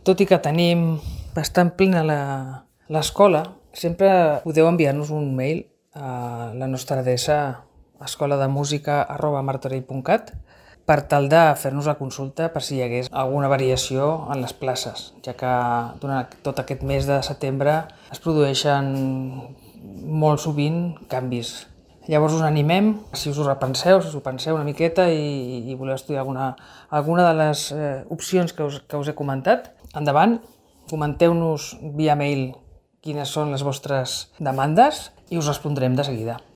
Tot i que tenim bastant plena l'escola, sempre podeu enviar-nos un mail a la nostra adreça escolademusica@martorell.cat per tal de fer-nos la consulta per si hi hagués alguna variació en les places, ja que durant tot aquest mes de setembre es produeixen molt sovint canvis. Llavors us animem, si us ho repenseu, si us ho penseu una miqueta i voleu estudiar alguna de les opcions que us he comentat, endavant, comenteu-nos via mail quines són les vostres demandes i us respondrem de seguida.